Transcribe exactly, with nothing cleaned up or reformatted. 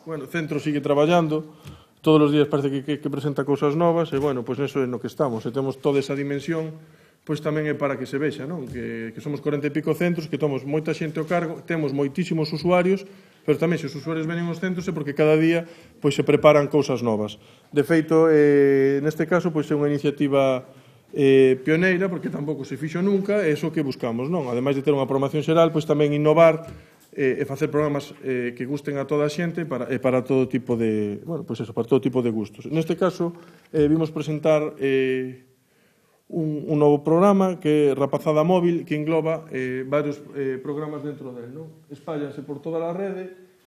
bueno, o centro sigue traballando, todos os días parece que, que, que presenta cousas novas, e, bueno, pois neso é no que estamos, e temos toda esa dimensión, pois tamén é para que se vexa, non? Que, que somos corenta e pico centros, que tomamos moita xente ao cargo, temos moitísimos usuarios, pero tamén se os usuarios venen aos centros é porque cada día pois se preparan cousas novas. De feito, eh, neste caso, pois é unha iniciativa eh, pioneira, porque tampouco se fixo nunca, é iso que buscamos, non? Ademais de ter unha programación xeral, pois tamén innovar eh, e facer programas eh, que gusten a toda a xente para, e para todo tipo de, bueno, pois eso, para todo tipo de gustos. Neste caso, eh, vimos presentar eh, un, un novo programa que é Rapazada Móvil, que engloba eh, varios eh, programas dentro del, non? Espállanse por toda a rede,